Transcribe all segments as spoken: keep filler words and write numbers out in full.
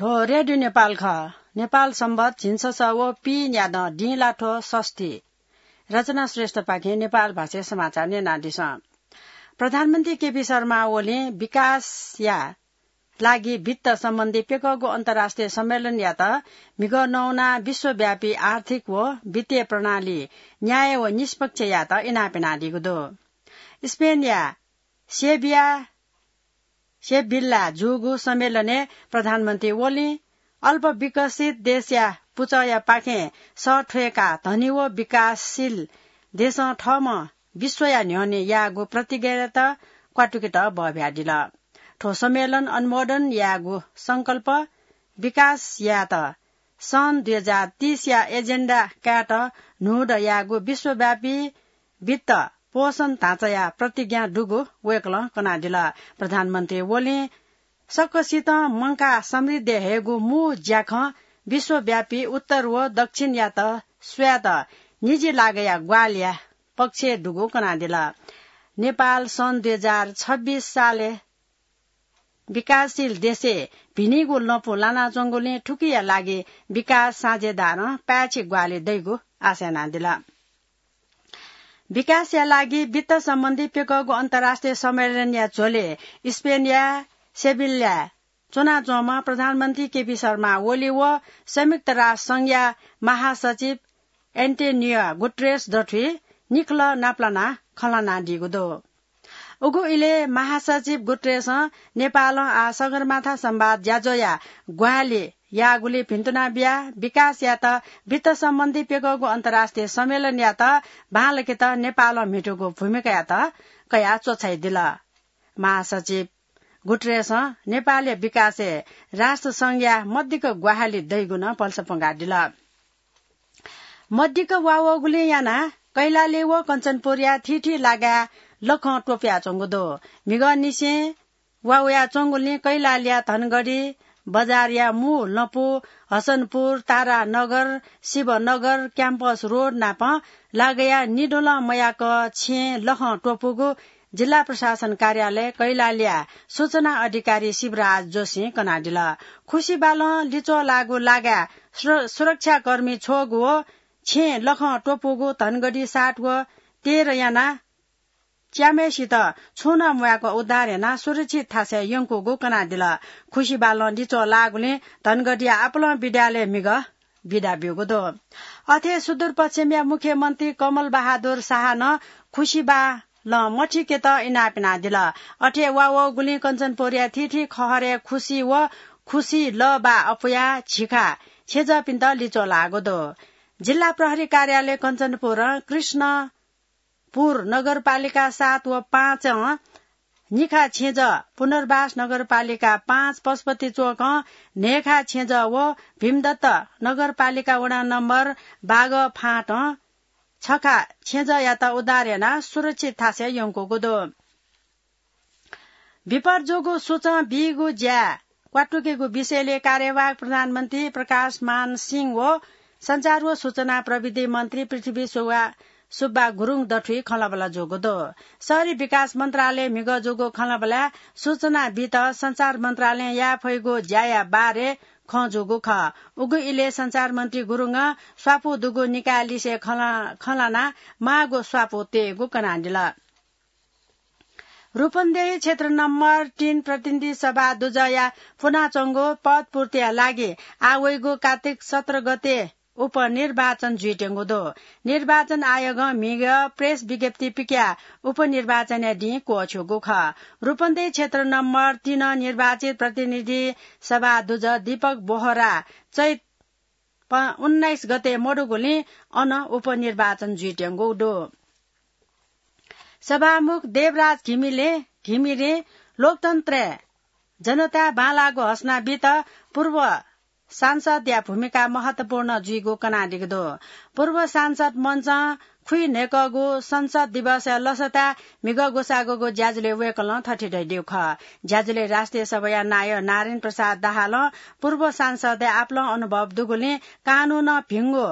थ्व रेडियो नेपाल खः। नेपाल संवत झिंछसः व पीन्यादँ दिं ला थ्व षष्ठी। रचना श्रेष्ठपाखें नेपाल भाषाय् समाचार न्यनादिसँ। प्रधानमन्त्री केपी शर्मा ओलीं विकासया लागि वित्त सम्बन्धी प्यकःगु अन्तर्राष्ट्रिय सम्मेलनयात म्हिगः नवानाः विश्वव्यापी आर्थिक व वित्तीय प्रणाली न्याय्य व निष्पक्ष यायेत इनाप यानादीगु दु। स्पेनया सेभिया, सेभिल्ला जूगु सम्मेलनय् प्रधानमन्त्री ओलीं अल्पविकसित देशया पुचःयापाखें सः थ्वय्काः धनी व विकासशील देशं थःम्हं विश्वया न्ह्यःने याःगु प्रतिज्ञायात क्वातुकेत बहब्यादिल। थ्व सम्मेलन अनुमोदन यायेगु संकल्प विकास यायेत सन् दुई हजार तीस या एजेन्डा कायेत न्हूदँ याःगु विश्वव्यापी वित्त पोषण ढाँचाया प्रतिज्ञा दुगु वय्कलं कनादिल। प्रधानमन्त्री ओलीं सकसितं मंकाः समृद्धि हयेगु मू ज्याखँ विश्वव्यापी उत्तर व दक्षिणयात स्वयेत निजी लागःया ग्वाहालिया पक्षय् दुगु कनादिल। नेपाल सन् दुई हजार छब्बीस सालय् विकासशील देशय् भिनिगु लँपु लानाच्वंगुलिं थुकिया लागि विकास साझेदारं पाय्छि ग्वाहालि दइगु आशा यानादिल। विकासया लागि वित्त सम्बन्धी प्यकःगु अन्तर्राष्ट्रिय सम्मेलनया झ्वलय् स्पेनया सेभिल्लाय् च्वनाच्वंम्ह प्रधानमन्त्री केपी शर्मा ओली व संयुक्त राष्ट्र संघया महासचिव एन्टोनियो गुटरेस दथुइ निखलः नापलानाः खँ ल्हानादीगु दु। उगु इलय् महासचिव गुटरेसं नेपालं आः सगरमाथा संवाद ज्याझ्वःया ग्वाहालि याःगुलिइ भिन्तुना बियाः विकास यायेत वित्त सम्बन्धी प्यकःगु अन्तर्राष्ट्रिय सम्मेलनयात बांलाकेत नेपालं म्हितूगु भूमिकायात कयाः च्वछाइदिल। महासचिव गुटरेसं नेपालया विकासय् राष्ट्र संघया मदिक्क ग्वाहालि दइगु नं भलसा प्वंकादिल। मदिक्क वा वःगुलिं यानाः कैलाली व कञ्चनपुरया थीथी लागाय् लखं त्वपुयाच्वंगु दु। म्हिगःनिसें वा वयाच्वंगुलिं कैलालीया धनगढी बजारया मू लँपु, हसनपुर, तारानगर, शिवनगर, क्याम्पस रोड नाप लागाय् निदुलं मयाक छेँय् लखं त्वपुगु जिल्ला प्रशासन कार्यालय कैलालीया सूचना अधिकारी शिवराज जोशीं कनादिल। खुसिबालं लिच्वः लाःगु लागाय् सुर-, सुरक्षाकर्मी छ्वःगु व छेँय् लखं त्वपुगु धनगढी सात व तेह्र यानाः च्याम्हय्सित छुं नं म्वाय्क उद्धार यानाः सुरक्षित थासय् यंकूगु कनादिल। खुसिबालं लिच्वः लाःगुलिं धनगढीया आपालं विद्यालयय् म्हिगः बिदा ब्यूगु दु। अथे सुदूरपश्चिमया मुख्यमन्त्री कमल बहादुर शाहं नं खुसिबालं मथिकेत इनाप यानादिल। अथे वा वःगुलिं कञ्चनपुरया थीथी खहरय् खुसि व खुसि लःबाः अपुयाः झिखा छेँजःपिन्त लिच्वः लाःगु दु। जिल्ला प्रहरी कार्यालय कञ्चनपुरं कृष्णपुर नगरपालिका सात व पाँचं निखा छेँजः, पुनर्वास नगरपालिका पाँच पशुपति चोकं न्हय्खा छेँजः व भीमदत्त नगरपालिका वडा नम्बर बागः फाँटं छखा छेँजःयात उद्धार यानाः सुरक्षित थासय् यंकूगु दु। विपद जूगु सूचं बीगु ज्या क्वातुकेगु विषयलय् कार्यवाहक प्रधानमन्त्री प्रकाशमान सिंह व सञ्चार व सूचना प्रविधि मन्त्री पृथ्वी सुब्बा, सुब्बा गुरुङ दथुइ खँल्हाबल्हा जूगु दु। शहरी विकास मन्त्रालयय् म्हिगः जूगु खँल्हाबल्हाय् सूचना बीत सञ्चार मन्त्रालयं याये फइगु ज्याया बारे खँ जूगु खः। उगु इलय् सञ्चार मन्त्री गुरुङं स्वापू दुगु निकाय लिसे खँ ल्हा-, खँ ल्हानाः माःगु स्वापू तयेगु कनादिल। रूपन्देही क्षेत्र नम्बर तीन प्रतिनिधि सभा दुजःया फ्वनाच्वंगु पद पूर्तिया लागि आः वइगु कात्तिक सत्र गते उपनिर्वाचन जुइत्यंगु दु। निर्वाचन आयोगं म्हिगः प्रेस विज्ञप्ति पिकयाः उपनिर्वाचनया दिं क्वःछ्यूगु खः। रूपन्देही क्षेत्र नम्बर तीन निर्वाचित प्रतिनिधि सभा दुजः दीपक बोहरा चैत प-, उन्नाइस गते मदुगुलिं अन उपनिर्वाचन जुइत्यंगु दु। सभामुख देवराज घिमिले, घिमिरे लोकतन्त्रय् जनताय् बांलाःगु हसना बीत पूर्व सांसदया भूमिका महत्वपूर्ण जुइगु कनादीगु दु। पूर्व सांसद मञ्चं खुइन्हय्कःगु संसद दिवसया लसताय् म्हिगः ग्वसाःगुगु ज्याझ्वलय् वय्कलं थथे धयादीगु खः। ज्याझ्वलय् राष्ट्रिय सभाया नायः नारायण प्रसाद दाहालं पूर्व सांसदया आपालं अनुभव दुगुलिं कानूनं भिंगु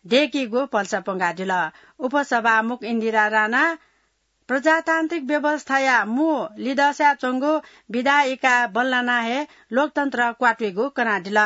दय्कीगु भलसा प्वंकादिल। उपसभामुख इन्दिरा राणा, प्रजातान्त्रिक व्यवस्थाया मू लिदःसाय् च्वंगु विधायिका बल्लानाः हे लोकतन्त्र क्वातुइगु कनादिल।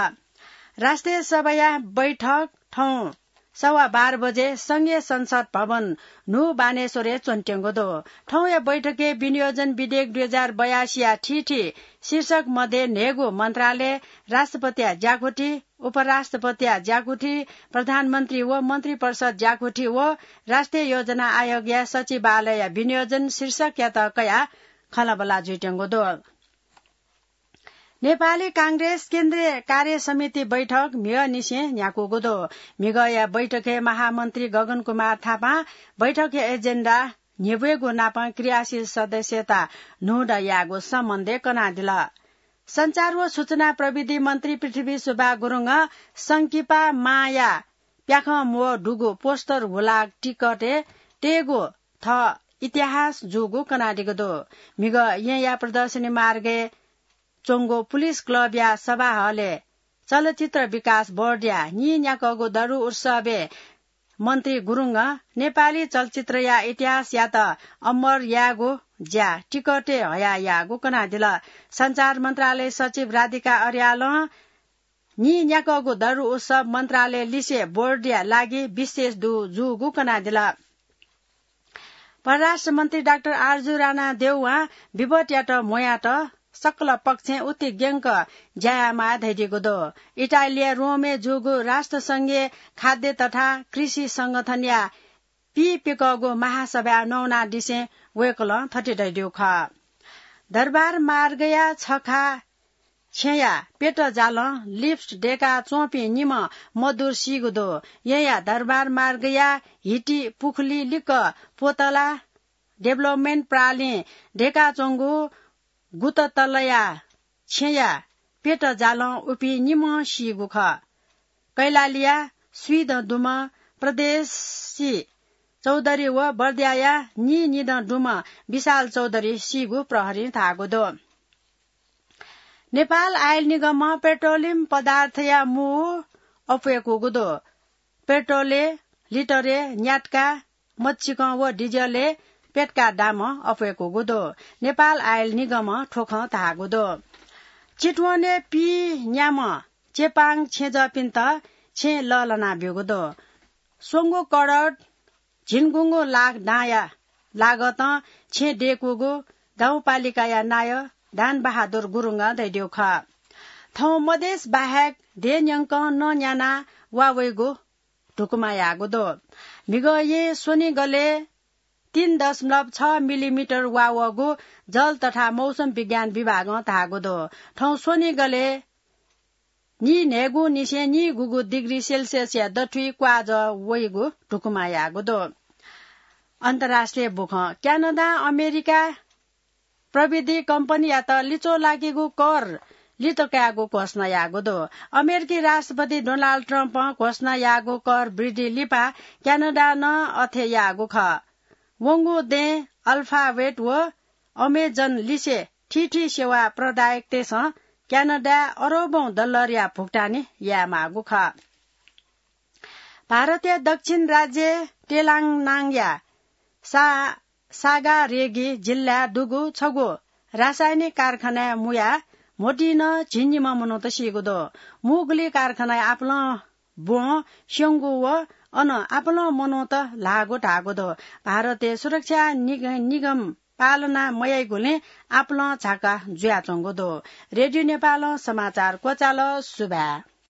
राष्ट्रिय सभाया बैठक थौं सवा बाह्र बजे संघीय संसद भवन न्हू बानेश्वरय् च्वनेत्यंगु दु। थौंया बैठकय् विनियोजन विधेयक दुई हजार बयासीया थीथी शीर्षक मध्ये न्हय्गू मन्त्रालय, राष्ट्रपतिया ज्याकुथि, उपराष्ट्रपतिया ज्याकुथि, प्रधानमन्त्री व मन्त्रिपरिषद ज्याकुथि व राष्ट्रिय योजना आयोगया सचिवालयया विनियोजन शीर्षकयात कयाः खँल्हाबल्हा जुइत्यंगु दु। नेपाली कांग्रेस केन्द्रीय कार्य समिति बैठक म्हिगःनिसें न्ह्याकूगु दु। म्हिगःया बैठकय् महामन्त्री गगन कुमार थापां बैठकया एजेन्डा न्ह्यब्वयेगु नापं क्रियाशील सदस्यता न्हूदँ यायेगु सम्बन्धय् कनादिल। सञ्चार व सूचना प्रविधि मन्त्री पृथ्वी सुब्बा गुरुङं संकिपा मांया प्याखं म्वः दुगु पोस्टर हुलाक टिकटय् तयेगु थः इतिहास जूगु कनादीगु दु। म्हिगः येँया प्रदर्शनी मार्गय् च्वंगु पुलिस क्लबया सभा हलय् चलचित्र विकास बोर्डया नीन्याकःगु दरु उत्सवय् मन्त्री गुरुङं नेपाली चलचित्रया इतिहासयात अमर यायेगु ज्या टिकटय् हयाः याःगु कनादिल। सञ्चार मन्त्रालय सचिव राधिका अर्यालं नीन्याकःगु दरु उत्सव मन्त्रालय लिसे बोर्डया लागि विशेष दु जूगु कनादिल। परराष्ट्र मन्त्री डाक्टर आरजु राणा देउवां विपदयात म्वयात सकल पक्षं उति ग्यंक ज्या यायेमाः धयादीगु दु। इटालीया रोमय् जूगु राष्ट्रसंघीय खाद्य तथा कृषि संगठनया पीपिकःगु महासभाय् नवानादिसें वय्कलं थथे धयादीगु खः। दरबार मार्गया छखा छेँया पेट जालं लिफ्ट दय्काच्वंपिं निम्ह मदुर सीगु दु। येँया दरबार मार्गया हिटी पुखुली लिक्क पोतला डेभलपमेन्ट प्रालिं दय्काच्वंगु गुततलया छेँया पेट जालं उपिं निम्ह सीगु खः। कैलालीया स्वीदँ दुम्ह प्रदेशी चौधरी व बर्दियाया नीनिदँ दुम्ह विशाल चौधरी सीगु प्रहरीं धाःगु दु। नेपाल आयल निगमं पेट्रोलियम पदार्थया मू अप्वय्कूगु दु। पेट्रोलय् लिटरय् न्यातका मच्चिकं व डिजलय् प्यतका दामं अप्वय्कूगु दु। नेपाल आयल निगमं थ्व खँ धाःगु दु। चितवनय् पीन्याम्ह चेपाङ छेँजःपिन्त छेँ लःल्हाना ब्यूगु दु। स्वंगू करोड झिंगुंगू लाख दांया लागतं छेँ दय्कूगु गाउँपालिकाया नायः दानबहादुर गुरुङं धयादीगु खः। थौं मधेस बाहेक देय् न्यंकं नं न्यानाः वा वइगु धुकुमा याःगु दु। म्हिगः येँ स्वनिगलय् तीन दशमलव छ मिलिमिटर वा वःगु जल तथा मौसम विज्ञान विभागं धाःगु दु। थौं स्वनिगलय् नीन्हय्गुनिसें नीगुगु डिग्री सेल्सियसया दथुइ क्वाःजः वइगु धुकुमा याःगु दु। अन्तर्राष्ट्रिय बुखँ। क्यानाडां अमेरिका प्रविधि कम्पनीयात लिच्वः लाकीगु कर लित कायेगु घोषणा याःगु दु। अमेरिकी राष्ट्रपति डोनाल्ड ट्रम्पं घोषणा याःगु कर वृद्धि लिपा क्यानाडां नं अथे याःगु खः। वंगु दँय् अल्फाबेट व अमेजन लिसे थीथी सेवा प्रदायकतय्सं क्यानाडाय् अरबौं डलरया भुक्तानी यायेमाःगु खः। भारतया दक्षिण राज्य तेलङ्गानाया सा-, सागारेगी जिल्लाय् दुगु छगू रासायनिक कारखानाय् मुयाः म्होतिं नं झिंनिम्ह मनूत सीगु दु। मू गुलि कारखानाय् आपालं ब्वं स्यंगु व अन आपालं मनूत ल्हाःगु धाःगु दु। भारतय् सुरक्षा निग-, निगम पालना मयाइगुलिं आपालं झाका जुयाच्वंगु दु। रेडियो नेपालं समाचार क्वचाल। सुभाय्।